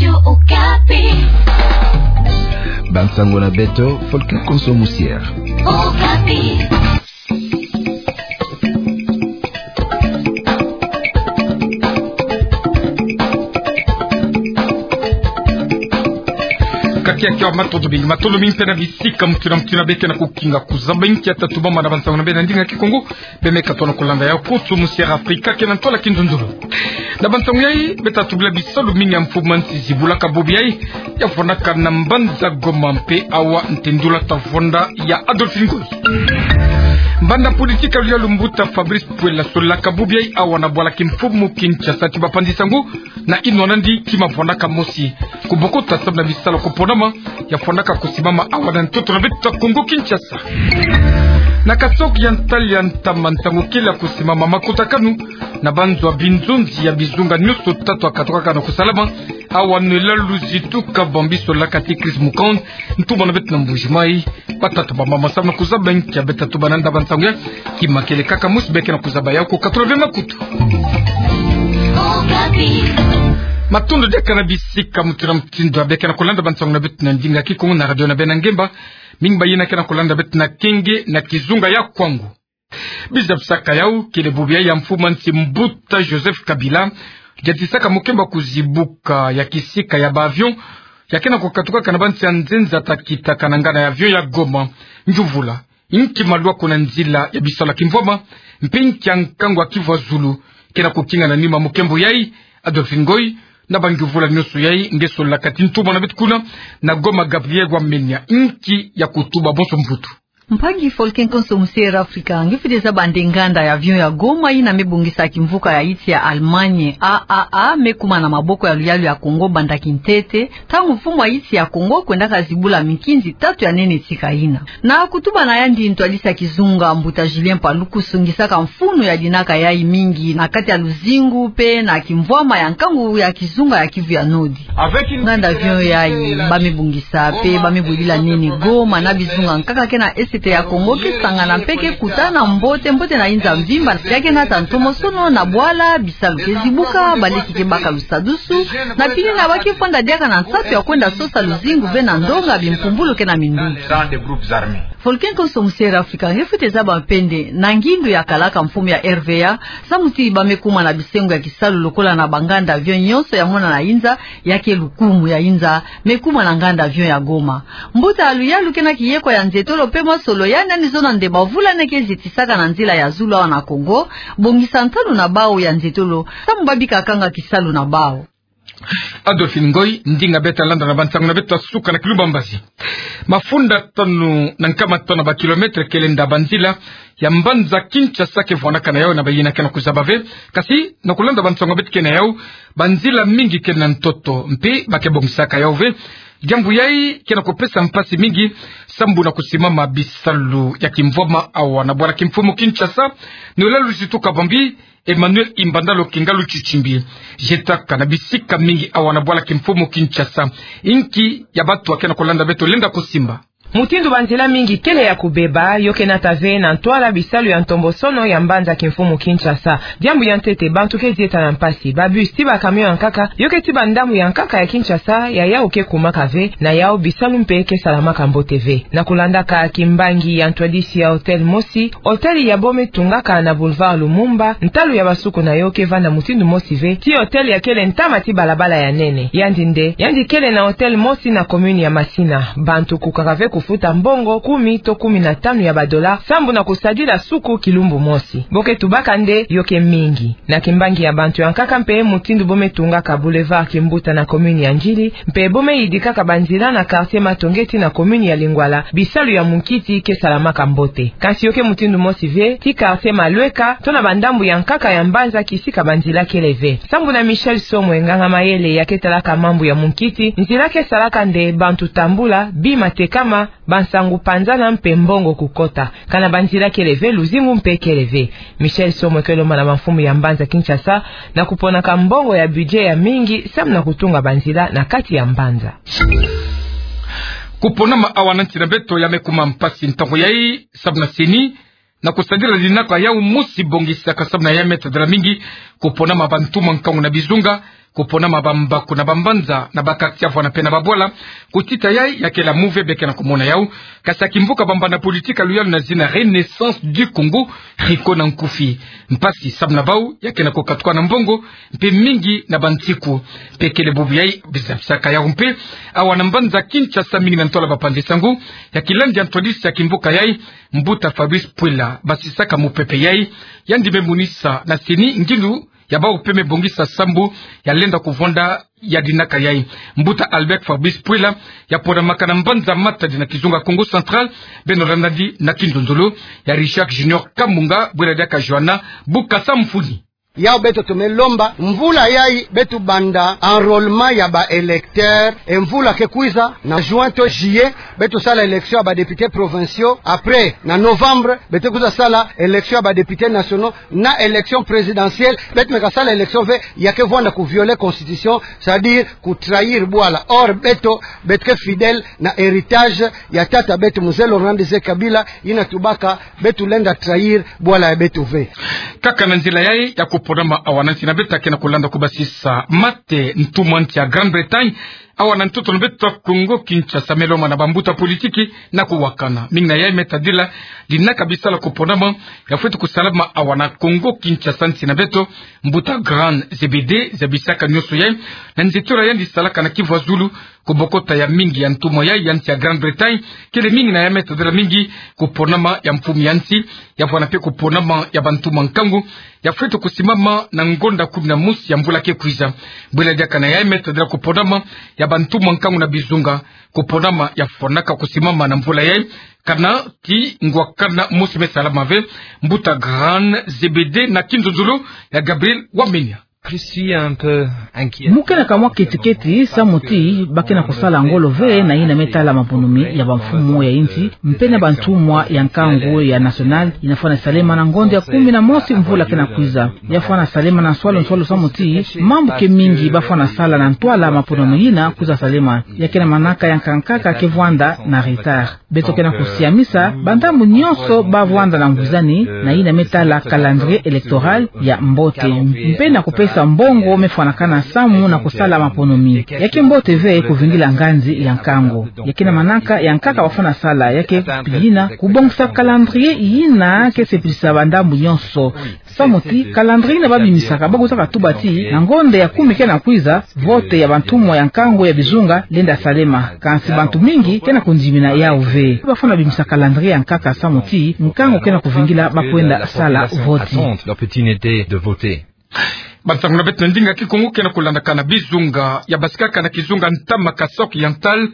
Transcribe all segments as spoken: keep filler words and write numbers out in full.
Radio Okapi. Bansango na beto, Folke Konso Musier. Okapi. Kake ya kiwa matondo mingi, matondo mingi mpe na bisika muti na muti beke na kukinga kuzaba inki ya tatu bamba na bansango na beno na ndinga Kikongo. Beno me katuka na kulanda yau Konso Musier Afrika ke na ntwala kinzonzolo. Na bansango yai, beta tubila bisalu mingi ya mfumu a nsi zibulaka bobi yai, ya fondaka na mbanza Goma mpe awa ntendula ta fonda ya Adolphe Ngoy. Mbanda politiki ya luyalu mbuta Fabrice Puela solaka bobi yai awa na bwala kimfumu Kinshasa ti bapanzi sango, na inwa nandi kima fondaka mosi. Kubokota samu na bisalu kuponama, ya fondaka kusimama awa na ntoto na beto ta Kongo Kinshasa. Na kasoki ya ntali ya ntama ntangu kele ya kusimama makutakanu na banzo ya binzonzi ya bizunga nyonso tatu ya katukaka na kusalama awa na elalu Luzitu Kabambi solaka ti Chris Mukand, ntumwa na beto na Mbuji Mayi. Batata bamama samu na kuzaba inki ya beta tuba na nda bansango ya, kima kele kaka mosi beke na kuzaba yau ko katula ve makutu. Matondo diaka na bisika muti na mutindu ya beke na kulanda bansango na beto na ndinga Kikongo na radio na beno na ngemba. Mingi bayina ke na kulanda beto na kenge na kizunga ya Kwango. Bizabisaka yau kele bobi yai ya mfumu a nsi mbuta Joseph Kabila, diatisaka mukembo ya kuzibuka ya kisika ya ba avion ya ke na kukatukaka na bansi ya nzenza ta kitaka na nganda ya avion ya Goma. Ngiuvula, inki malwa kuna nzila ya bisalu ya kimvwama, mpe inki ya nkangu ya Kivu ya zulu ke na kukinga na nima mukembo yai? Adolphe Ngoy, na bangiuvula nyonso yai nge solaka ti ntumwa na beto kuna na Goma Gabriel Wamenya, inki ya kutuba bonso mvutu? Mpangi Folke Konso Musier Afrika, nge fwete zaba nde nganda ya avion ya Goma yina me bongisa kimvuka ya iti ya Allemagne A A A me kuma na maboko ya luyalu ya Kongo banda kintete, ntangu mfumu a iti ya Kongo kwendaka zibula mikinzi tatu ya nene tika yina. Na kutuba na yandi ntwadisi ya kizunga mbuta Julien Paluku songisaka mfunu ya dinaka yai mingi na kati ya luzingu mpe na kimvwama ya nkangu ya kizunga ya Kivu ya Nord. Nganda avion yai ba me bongisa mpe ba me bwilila nene Goma na bizunga nkaka ke na Est ya Kongo ke sangana mpe ke kutana mbote mbote na inza mvimba, ya ke nata ntomosono na bwala, bisalu ke zibuka, baleki ke baka lusadusu, na pili na ba ke fwanda diaka na nsatu ya kwenda sosa luzingu ve na ndonga bimpumbulu ke na minduki. Folke Konso Musier Afrika, nge fwete zaba mpe nde na ngindu ya kalaka mfumu ya R V A, samu ti ba me kuma na bisengo ya kisalu lokola na banganda avion nyonso ya mona na inza, ya ke lukumu ya inza me kuma na nganda avion ya Goma. Mbuta ya luyalu ke na kiyeko ya nzetolo mpe masolo yandi, yandi zona nde bavula neke zitisaka na nzila ya zulu awa na Kongo bongisa ntalu na bau ya nzetolo, samu ba bika kanga kisalu na bau. Adolphe Ngoy, ndinga beta landa na bansango na beto ya suka na kilumbu ya mbazi. Mafunda tanu na nkama tanu ya ba kilomètre ke lenda banzila ya mbanza Kinshasa ke vwandaka na yau na bayina ke na kuzaba ve. Kasi na kulanda bansango beto ke na yau, banzila mingi ke na ntoto mpe ba ke bongisaka yau ve. Diambu yai ke na kupesa mpasi mingi sambu na kusimama bisalu ya kimvwama awa na bwala kimfumu Kinshasa, na elalu Luzitu Kabambi. Emmanuel Imbanda Lokenga Lutshitshimbi, zietaka na bisika mingi awa na bwala kimfumu Kinshasa. Inki ya bantu ya ke na kulanda beto lenda kusimba? Mutindu banzila mingi kele ya kubeba, yo ke nata ve na ntwala bisalu ya ntombosono ya mbanza kimfumu Kinshasa. Diambu ya ntete, bantu ke zieta na mpasi. Ba bus ti ba camion ya nkaka yo ke ti bandambu ya nkaka ya Kinshasa, ya yau ke kumaka ve, na yau bisalu mpe ke salamaka mbote ve. Na kulandaka kimbangi ya ntwadisi ya hôtel mosi, hôtel ya bo me tungaka na boulevard Lumumba, ntalu ya basuku na yo ke vanda mutindu mosi ve ti hôtel ya kele ntama ti balabala ya nene. Yandi nde, yandi kele na hôtel mosi na commune ya Masina. Bantu kukaka ve kufuta mbongo kumi to kumi na tanu ya ba dollars sambu na kusadila suku kilumbu mosi. Bo ke tubaka nde yo ke mingi. Na kimbangi ya bantu ya nkaka mpe, mutindu bo me tungaka boulevard Kimbuta na commune ya Ndjili, mpe bo me yidikaka banzila na quartier Matonge ti na commune ya Lingwala, bisalu ya munkiti ke salamaka mbote. Kasi yo ke mutindu mosi ve ti quartier Malweka to na bandambu ya nkaka ya mbanza kisika banzila kele ve. Sambu na Michel Somwe, nganga mayele ya ke talaka mambu ya munkiti, nzila ke salaka nde bantu tambula, bima tekama, bansangu panzana mpe mbongo kukota. Kana banzila kele ve, luzingu mpe kele ve. Michel Somwe ke lomba na bamfumu ya mbanza Kinshasa na kuponaka mbongo ya budget ya mingi sambu na kutunga banzila na kati ya mbanza. Kuponama awa na nsi na beto ya me kuma mpasi ntangu yai sambu na CENI, na kusadila dinaka yau mosi bongisaka sambu na ya me tadila mingi kuponama bantu ma nkangu na bizunga, kuponama bambaku na bambanza, na ba quartier, fwana mpe na babwala. Kutita yai, ya kele muve beke na kumona yau. Kasi ya kimvuka bambanda politique ya luyalu na zina Renaissance du Congo, Rico na nkufi. Mpasi samu na bau, ya ke na kukatuka na mbongo, mpe mingi na bansiku. Mpe kele bubu yai, bizabisaka yau mpe, awa na mbanza Kinshasa, mingi na ntwala bapanzi sango, ya kilandi ya ntwadisi ya kimvuka yai, mbuta Fabrice Puela, basisaka mupepe yai, yandi me monisa na CENI ngilu ya bau mpe me bongisa sambu ya lenda kuvwanda ya dinaka yai. Mbuta Albert Fabrice Puela, ya ponamaka na mbanza Matadi na kizunga Kongo Central, beno landandi na kinzonzolo ya Richard Junior Kamunga, bwela diaka Johanna Bukasa Mfuni. Yau beto tume lomba, mvula yai beto banda enrôlement ya ba électeurs, e mvula ke kwiza, na juin to juillet, beto sala élection ya ba députés provinciaux, après, na novembre, beto kwiza sala élection ya ba députés nationaux, na élection présidentielle, beto meka sala élection ve, ya ke vwanda ku violer constitution, c'est-à-dire ku trahir bwala. Or, beto, beto ke fidèle na héritage ya tata beto Mzee Laurent Désiré Kabila, yina tubaka, beto lenda trahir bwala ya beto ve. Kaka na nzila yai ya kuponama awa na nsi na beto ke na kulanda kubasisa mate ntumwa nsi ya Grande-Bretagne, awa na ntoto na beto Kongo Kinshasa, meloma na bambuta politique na kuwakana. Mingi na yai me tadila dinaka bisalu ya kuponama ya fweti kusalama awa na Kongo Kinshasa nsi na beto. Mbuta Grand Zebede, zabisaka nyonso yai na nzietolo ya yandi salaka na Kivu ya Zulu, kubokota ya mingi ya ntumwa yai ya nsi ya Grande-Bretagne, kele mingi na yai me tadila mingi kuponama ya mfumu ya nsi, ya fwana mpe kuponama ya bantumwa nkangu, ya fweti kusimama na ngonda kumi na mosi ya mvula ke kwiza. Bwela diaka na yai me tadila kuponama ya bantumwa nkangu na bizunga, kuponama ya fwanaka kusimama na mvula yai, kana ti ngwakana mosi me salama ve. Mbuta Grand Zebede na kinzonzolo ya Gabriel Wamenya. Je suis un peu inquiet. Mu ke na kamwa keti-keti, samu ti ba ke na kusala ngolo ve na yina me tala maponami ya bamfumu ya nsi, mpe na bantumwa ya nkangu ya nationale, yina fwana salema na ngonda ya kumi na mosi mvula ke na kwiza. Ya fwana salema na nswalu nswalu samu ti mambu ke mingi ba fwana sala na ntwala maponami yina kwiza salema. Ya ke na manaka ya nkaka ke vwanda na retard. Beto ke na kusiamisa bandambu nyonso ba vwanda na ngwizani na yina me tala calendrier électoral ya mbote, mpe na kupesa mbongo me fwanakana samu na kusala maponami. Ya ke mbote ve kuvingila nganzi ya nkangu. Ya ke na manaka ya nkaka ba fwana sala, ya ke pi yina kubongisa calendrier yina ke sepelisa bandambu nyonso. Samu ti calendrier yina ba bimisaka, ba kuzaka tuba ti na ngonda ya kumi ke na kwiza, vote ya bantumwa ya nkangu ya bizunga lenda salema. Kansi bantu mingi ke na kundimina yau ve. Ba fwana bimisa calendrier ya nkaka samu ti nkangu ke na kuvingila ba kwenda sala vote. Leur petit-neveu de voter. Bansangu na beto na ndinga Kikongo ke na kulandaka na bizunga ya basikaka na kizunga Ntama Kasaï Oriental,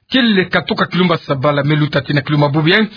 kele katuka Kilumba Sabala me luta tii na Kilumba Bubu yai,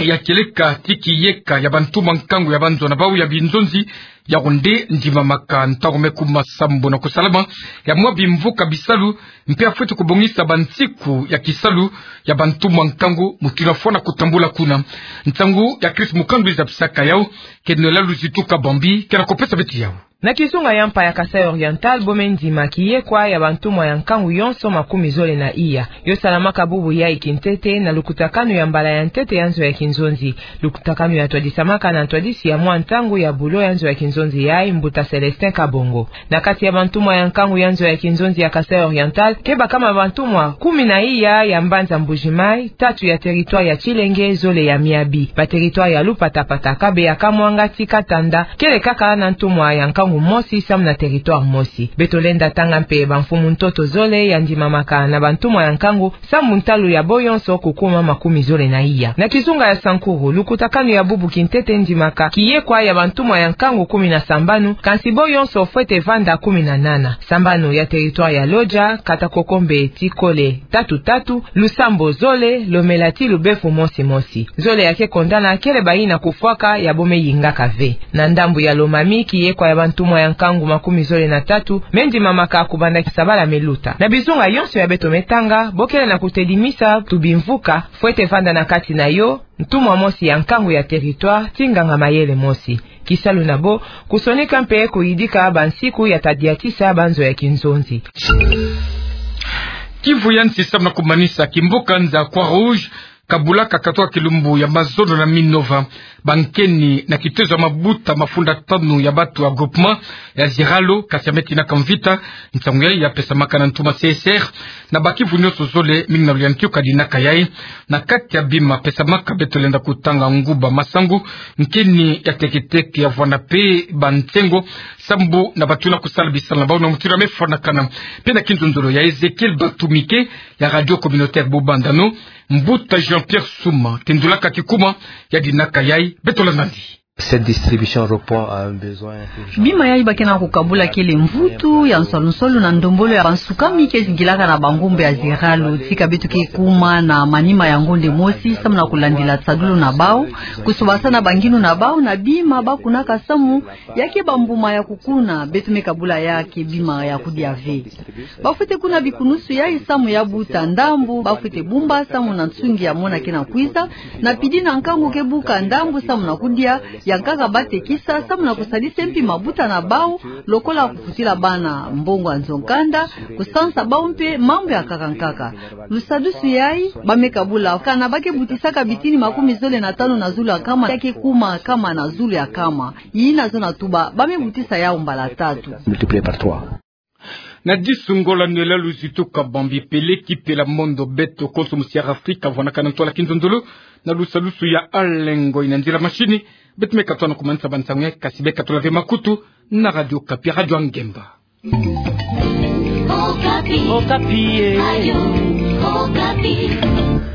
ya kieleka ti kiyeka ya bantumwa nkangu ya banzo na bau ya binzonzi, yawu nde ndimamaka ntangu me kuma sambu na kusalama ya mwa bimvuka bisalu, mpe ya fweti kubongisa bansiku ya kisalu ya bantumwa nkangu, mutindu ya fwana kutambula kuna. Nsangu ya Chris Mukandu zabisaka yau, Kenela Luzitu Kabambi ke na kupesa beto yau. Na kizunga ya mpa ya Kasaï Oriental, bo me ndima kiyekwa ya bantumwa ya nkangu yonso makumi zole na iya. Yo salamaka bubu yai kintete na lukutakanu ya mbala ya ntete ya nzo ya kinzonzi. Lukutakanu ya twadisamaka na ntwadisi ya mwa ntangu ya bulo ya nzo ya kinzonzi yai, mbuta Célestin Kabongo. Na kati ya bantumwa ya nkangu ya nzo ya kinzonzi ya Kasaï Oriental, ke bakama bantumwa kumi na iya ya mbanza Mbuji-Mayi, tatu ya territoire ya Tshilenge, zole ya Miabi. Ba territoire ya Lupatapata, Kabeya, Kamwanga tii Katanda, kele kaka na ntumwa ya nkangu mosi samu na territoire mosi. Beto lenda tanga mpe bamfumu ntoto zole ya ndimamaka na bantumwa ya nkangu, samu ntalu ya bo yonso kukuma makumi zole na iya. Na kizunga ya Sankuru, lukutakanu ya bubu kintete ndimaka kiyekwa ya bantumwa ya nkangu kumi na sambanu, kansi bo yonso fwete vanda kumi na nana. Sambanu ya territoire ya Lodja, kata Kokombe tii Kole tatu tatu, Lusambo zole, Lomela tii Lubefu mosi mosi. Zole ya ke kondana kele bayina kufwaka, ya bo me yingaka ve. Na ndambu ya Lomami, kiyekwa ya bantumwa ya nkangu makumi zole na tatu me ndimamaka kubanda Sabala me luta. Na bizunga yonso ya beto me tanga, bo kele na kutedimisa tubimvuka, fwete vanda na kati na yo ntumwa mosi ya nkangu ya territoire tii nganga mayele mosi. Kisalu na bo, kusonika mpe kuyidika bansiku ya tadiatisa banzo ya kinzonzi. Kivu ya nsi, samu na kumanisa, kimbuka nza Croix-Rouge Kabula kakatoka kilumbu ya mazono na Minova, ba nkeni na kitezo ya mabuta mafunda tanu ya batu ya groupement ya Ziralo, kasi ya me tinaka mvita. Nsangu yayi ya pesamaka na ntuma C S R na bakivu nyonso zole, mingi na luyantiyo ka dinaka yayi. Na kati ya bima pesamaka, beto lenda kutanga nguba masangu, nkeni ya teketeke ya vwanda pe ba nsengo sambu na batu na kusala bisalu na bawu na mutilu ya me fwanakana. Pe na kinzonzolo ya Ezekiel Batumike ya Radio Communautaire Bobandano, mbuta Jean-Pierre Suma tendulaka kikuma ya dinaka yayi. Beto landa nandi. Cette distribution répond à un besoin urgent. Bima yayi ba ke na kukabula kele mvutu ya nsolu-nsolu na ndombolo ya bansukami ke zingilaka na bangombe ya Ziralo. Tika beto ke kuma na manima ya ngonde mosi samu na kulandila tisadulu na bawu, kusobasana banginu na bawu na bima ba kunaka samu ya ke bambuma ya kukuna, beto me kabula ya ke bima ya kudia ve. Ba fwete kuna bikunusu yayi samu ya buta ndambu, ba fwete bumba samu na nsungi ya mona ke na kwiza, na pidi na nkangu ke buka ndambu samu na kudia, ya nkaka ba tekisa samu na kusadisa mpi mabuta na bawu, lokola kufutila bana mbongo ya nzo-nkanda, kusansa bawu mpe mambu ya nkaka-nkaka. Lusadusu yayi ba me kabula, kana ba ke butisaka bitini makumi zole na tanu na zulu ya nkama, ya ke kuma nkama na zulu ya nkama. Yina zona tuba, ba me butisa yawu mbala tatu. Multiplié par trois. Na disu ngolo nela luzitu kabambi pele ki pela mondo, beto konso musi ya Afrika vwanakana ntwala kinzonzolo na lusadusu ya Alengo. Ina nzila mashini, beto me katoa na kumanisa ba nsangu yayi, kasi be katola ve makutu na Radio Okapi, Radio ya ngemba. Okapi. Okapi, eh. Radio Okapi.